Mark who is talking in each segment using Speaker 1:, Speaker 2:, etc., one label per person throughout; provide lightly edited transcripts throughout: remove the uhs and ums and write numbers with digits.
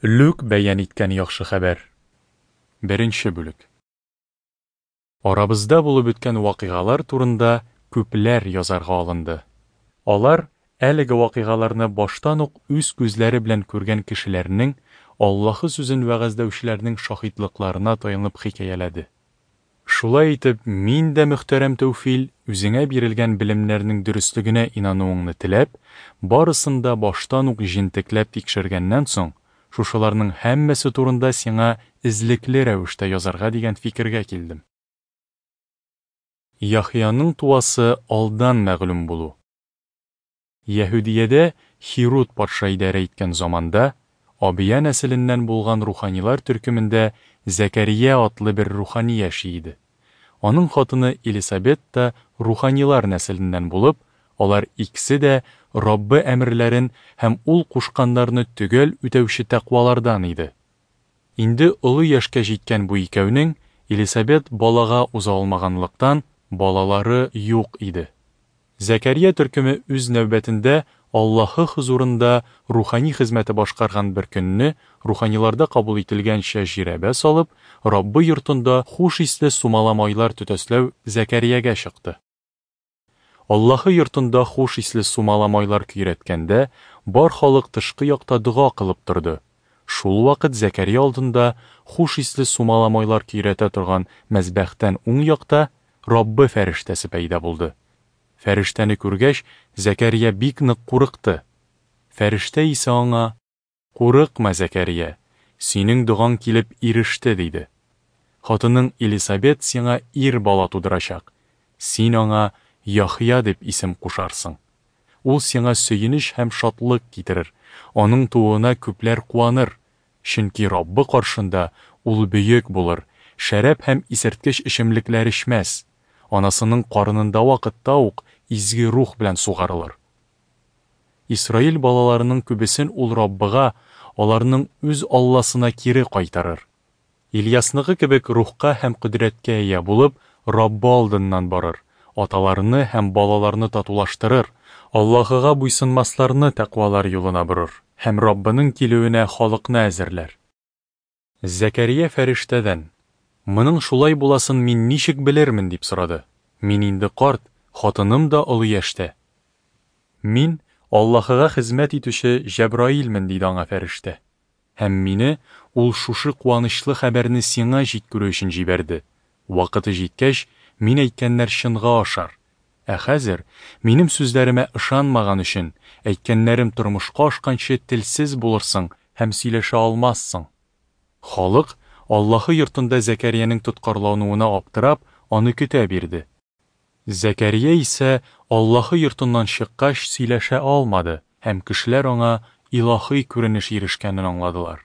Speaker 1: Лүк бәян иткән яхшы хәбәр. Беренче бүлек. Арабызда булып үткән вакыйгалар турында күпләр язарга алынды. Алар әлеге вакыйгаларны баштан ук үз күзләре белән күргән кешеләрнең, Аллаһы сүзен вәгазьләүчеләрнең шаһитлыкларына таянып хикәяләде. Шулай итеп, мин дә, мөхтәрәм Тәүфил, үзеңә бирелгән белемнәрнең дөреслегенә инануыңны теләп, барысын да баштан ук җентекләп тикшергәннән соң, шушыларның һәммәсе турында сиңа эзлекле рәвештә язарга дигән фикергә килдем. Яхъяның туасы алдан мәгълүм булу. Яһүдиядә Һируд патша идарә иткән заманда, Абия нәселеннән булган руханилар төркемендә Зәкәрия атлы бер рухани яши иде. Аның хатыны Элисабет та руханилар нәселеннән булып, алар икесе дә Раббы әмерләрен һәм Ул кушканнарны төгәл үтәүче тәкъвалардан иде. Инде олы яшькә җиткән бу икәүнең, Элисабет балага уза алмаганлыктан, балалары юк иде. Зәкәрия төркеме үз нәүбәтендә Аллаһы хозурында рухани хезмәте башкарган бер көнне, руханиларда кабул ителгәнчә жирәбә салып, Раббы йортында хуш исле сумала майлар төтәсләү Зәкәриягә чыкты. Аллаһы йортында хуш исле сумала майлар көйрәткәндә, бар халык тышкы якта дога кылып торды. Шул вакыт Зәкәрия алдында хуш исле сумала майлар көйрәтә торган мәзбәхтән уң якта Раббы фәрештәсе пәйда булды. Фәрештәне күргәч, Зәкәрия бик нык курыкты. Фәрештә исә аңа, Курыкма, Зәкәрия, синең догаң килеп иреште, диде. Хатының Элисабет сиңа ир бала тудырачак, син аңа Яхъя дип исем кушарсың. Ул сиңа сөенеч һәм шатлык китерер, аның тууына күпләр куаныр, чөнки Раббы каршында ул бөек булыр, шәраб һәм исерткеч эчемлекләр эчмәс, анасының карынында вакытта ук Изге Рух белән сугарылыр. Исраил балаларының күбесен ул Раббыга, аларның үз Алласына кире кайтарыр. Ильясныкы кебек рухка һәм кодрәткә ия булып, Раббы алдыннан барыр, аталарны һәм балаларны татулаштырыр, Аллаһыга буйсынмасларны тәкъвалар юлына борыр һәм Раббының килүенә халыкны әзерләр. Зәкәрия фәрештәдән, Моның шулай буласын мин ничек белермен? дип сорады. Мин инде карт, хатыным да олы яшьтә. Мин, Аллаһыга хезмәт итүче Җәбраилмен, диде аңа фәрештә. Һәм мине Ул шушы куанычлы хәбәрне сиңа җиткерү өчен җибәрде. Вакыты җиткәч, мин әйткәннәр чынга ашар. Ә хәзер, минем сүзләремә ышанмаган өчен, әйткәннәрем тормышка ашканчы телсез булырсың һәм сөйләшә алмассың. Халык, Аллаһы йортында Зәкәриянең тоткарлануына аптырап, аны көтә бирде. Зәкәрия исә Аллаһы йортыннан чыккач сөйләшә алмады, һәм кешеләр аңа илаһи күренеш ирешкәнен аңладылар.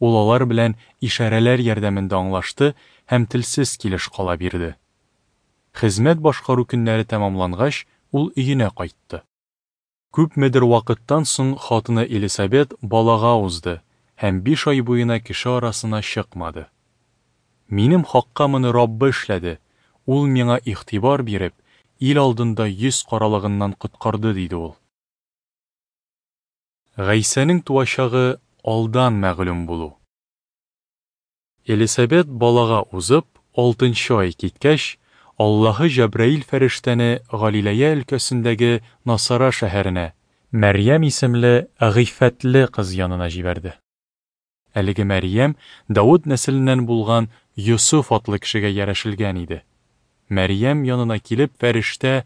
Speaker 1: Ул алар белән ишарәләр ярдәмендә аңлашты һәм телсез килеш кала бирде. Хезмәт башкару көннәре тәмамлангач, ул өенә кайтты. Күпмедер вакыттан соң хатыны Элисабет балага узды һәм биш ай буена кеше арасына чыкмады. Минем хакка моны Раббы эшләде, Ул миңа игътибар биреп, ил алдында йөз каралыгыннан коткарды, диде ул. Гайсәнең туачагы алдан мәгълүм булу. Элисабет балага узып, алтынчы ай киткәч, Аллаһы Җәбраил фәрештәне Галиләя өлкәсендәге Насара шәһәренә, Мәрьям исемле гыйффәтле кыз янына җибәрде. Әлеге Мәрьям Давыт нәселеннән булган Йосыф атлы кешегә ярәшелгән иде. Мәрьям янына килеп, фәрештә,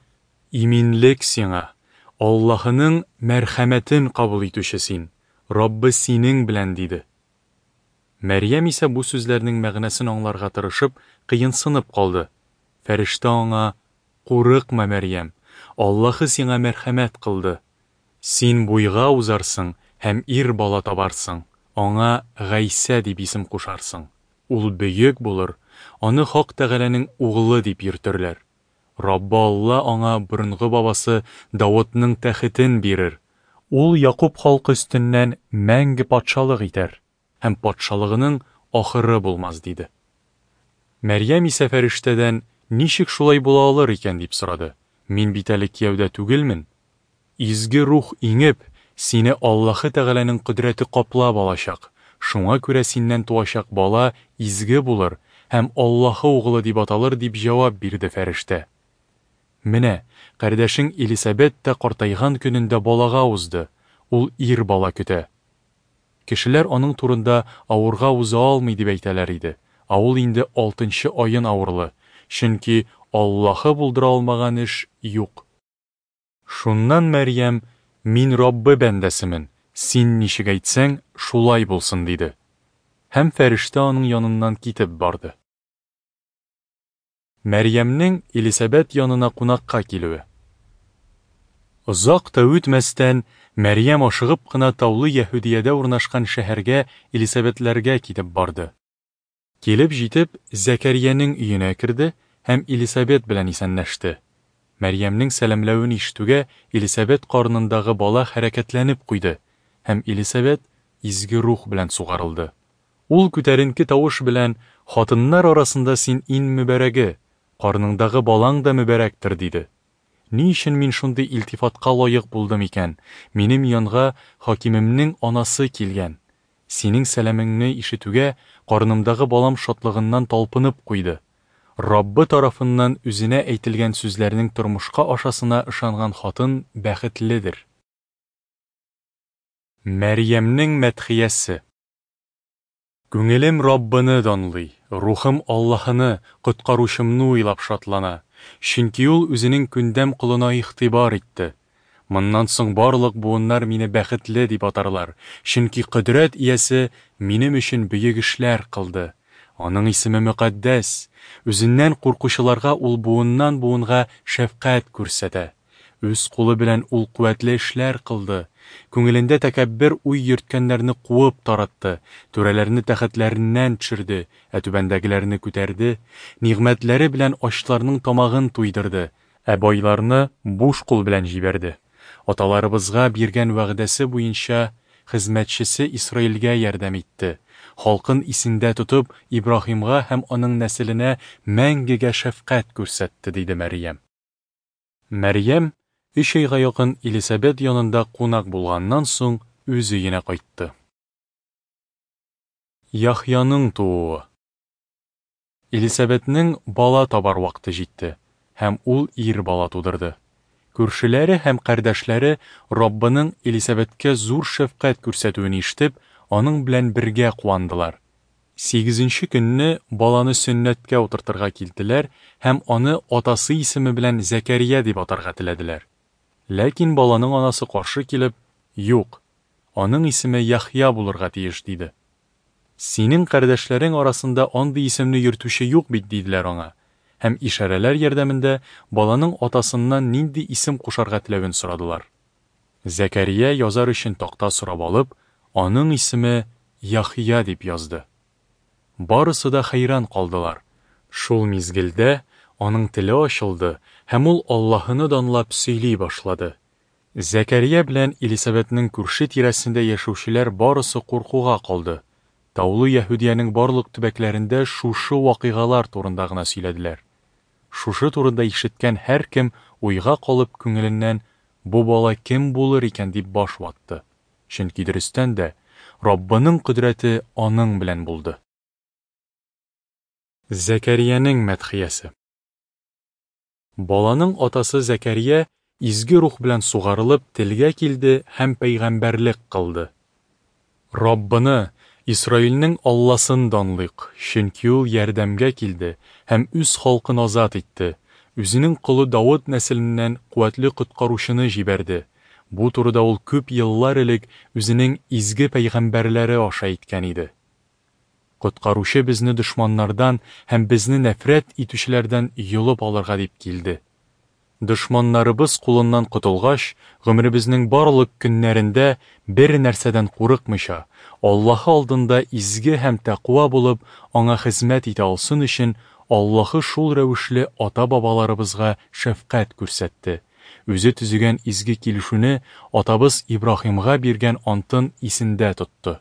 Speaker 1: Иминлек сиңа, Аллаһының мәрхәмәтен кабул итүче син, Раббы синең белән, диде. Мәрьям исә бу сүзләрнең мәгънәсен аңларга тырышып, кыенсынып калды. Фәрештә аңа, Курыкма, Мәрьям, Аллаһы сиңа мәрхәмәт кылды. Син буйга узарсың һәм ир бала табарсың, аңа Гайсә дип исем кушарсың. Ул бөек булыр, аны Хак Тәгаләнең Углы дип йөртерләр. Раббы Алла аңа борынгы бабасы Давытның тәхетен бирер. Ул Якуб халкы өстеннән мәңге патшалык итәр, һәм патшалыгының ахыры булмас, диде. Мәрьям исә фәрештәдән, Ничек шулай була алыр икән, дип сорады. Мин бит әле кияүдә түгелмен. Изге Рух иңеп, сине Аллаһы Тәгаләнең кодрәте каплап алачак. Шуңа күрә синнән туачак бала изге булыр һәм Аллаһы Угылы дип аталыр, дип җавап бирде фәрештә. Менә, кардәшең Элисабет та картайган көнендә балага узды, ул ир бала көтә. Кешеләр аның турында авырга уза алмый дип әйтәләр иде, ә ул инде алтынчы аен авырлы, чөнки Аллаһы булдыра алмаган эш юк. Шуннан Мәрьям, Мин Раббы бәндәсемен, син ничек әйтсәң, шулай булсын, диде. Һәм фәрештә аның яныннан китеп барды. Мәрьямнең Элисабәт янына кунакка килүе. Озак та үтмәстән, Мәрьям ашыгып кына таулы Яһүдиядә урнашкан шәһәргә Элисабәтләргә китеп барды. Килеп җитеп, Зәкәриянең өенә керде һәм Элисабет белән исәнләште. Мәрьямнең сәламләвен ишетүгә, Элисабет карынындагы бала хәрәкәтләнеп куйды, һәм Элисабет Изге Рух белән сугарылды. Ул күтәренке тавыш белән, Хатыннар арасында син ин мөбарәге, карыныңдагы балаң да мөбарәктер, диде. Ни өчен мин шундый илтифатка лаек булдым икән? Минем янга хакимемнең анасы килгән. Синең сәламеңне ишетүгә, карынымдагы балам шатлыгыннан талпынып куйды. Раббы тарафыннан үзенә әйтелгән сүзләрнең тормышка ашасына ышанган хатын бәхетледер. Мәрьямнең мәдхиясе. Күңелем Раббыны данлый, рухым Аллаһыны, Коткаручымны уйлап шатлана, чөнки Ул Үзенең күндәм колына игътибар итте. Моннан соң барлык буыннар мине бәхетле дип атарлар, чөнки Кодрәт Иясе минем өчен бөек эшләр кылды. Аның исеме мөкатдәс. Үзеннән куркучыларга Ул буыннан-буынга шәфкать күрсәтә. Үз кулы белән ул куәтле эшләр кылды. Күңелендә тәкәббер уй йөрткәннәрне куып таратты, түрәләрне тәхетләреннән төшерде, ә түбәндәгеләрне күтәрде, нигъмәтләре белән ачларның тамагын туйдырды, ә байларны буш кул белән җибәрде. Аталарыбызга биргән вәгъдәсе буенча хезмәтчесе Исраилгә ярдәм итте, халкын исендә тотып, Ибраһимга һәм аның нәселенә мәңгегә шәфкать күрсәтте, диде Мәрьям. Мәрьям, өч айга якын Элисабет янында кунак булганнан соң, үз өенә кайтты. Яхъяның тууы. Элисабетнең бала табар вакыты җитте, һәм ул ир бала тудырды. Күршеләре һәм кардәшләре Раббының Элисабеткә зур шәфкать күрсәтүен ишетеп, аның белән бергә куандылар. Сигезенче көнне баланы сөннәткә утыртырга килделәр һәм аны атасы исеме белән Зәкәрия дип атарга теләделәр. Ләкин баланың анасы каршы килеп, Юк, аның исеме Яхъя булырга тиеш, диде. Синең кардәшләрең арасында андый исемне йөртүче юк бит, диделәр аңа, һәм ишарәләр ярдәмендә баланың атасыннан нинди исем кушарга теләвен сорадылар. Зәкәрия язар өчен такта сорап алып, Аның исеме Яхъя дип язды. Барысы да хәйран калдылар. Шул мизгелдә аның теле ачылды һәм ул Аллаһыны данлап сөйли башлады. Зәкәрия белән Элисабәтнең күрше тирәсендә яшәүчеләр барысы куркуга калды. Таулы Яһүдиянең барлык төбәкләрендә шушы вакыйгалар турында гына сөйләделәр. Шушы турында ишеткән һәркем уйга калып күңеленнән бу бала кем булыр икән дип баш ватты. Чөнки дөрестән дә, Раббының кодрәте аның белән булды. Зәкәриянең мәдхиясе. Баланың атасы Зәкәрия Изге Рух белән сугарылып телгә килде һәм пәйгамбәрлек кылды. Раббыны, Исраилнең Алласын данлыйк, чөнки ул ярдәмгә килде һәм үз халкын азат итте, үзенең колы Давыт нәселеннән куәтле коткаручыны җибәрде. Бу турыда ул күп еллар элек үзенең изге пәйгамбәрләре аша әйткән иде. Коткаручы безне дошманнардан һәм безне нәфрәт итүчеләрдән йолып алырга дип килде. Дошманнарыбыз кулыннан котылгач, гомеребезнең барлык көннәрендә бер нәрсәдән курыкмыйча, Аллаһы алдында изге һәм тәкъва булып, аңа хезмәт итә алсын өчен, Аллаһы шул рәвешле ата-бабаларыбызга шәфкать күрсәтте, үзе төзегән изге килешүне, атабыз Ибраһимга биргән антын исендә тотты.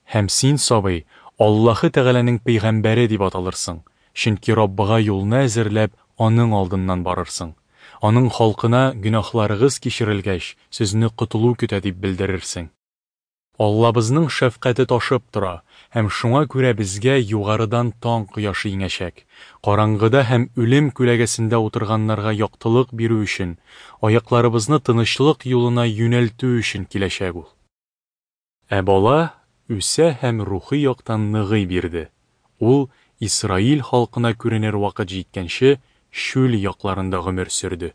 Speaker 1: Һәм син, сабый, Аллаһы Тәгаләнең пәйгамбәре дип аталырсың, чөнки Раббыга юлны әзерләп, аның алдыннан барырсың. Аның халкына, гөнаһларыгыз кичерелгәч, сезне котылу көтә дип белдерерсең. Аллабызның шәфкате ташып тора, һәм шуңа күрә безгә югарыдан таң кояшы иңәчәк, караңгыда һәм үлем күләгәсендә утырганнарга яктылык бирү өчен, аякларыбызны тынычлык юлына юнәлтү өчен киләчәк ул. Ә бала үсә һәм рухи яктан ныгый бирде, ул, Исраил халкына күренер вакыт җиткәнче, чүл якларында гомер сөрде.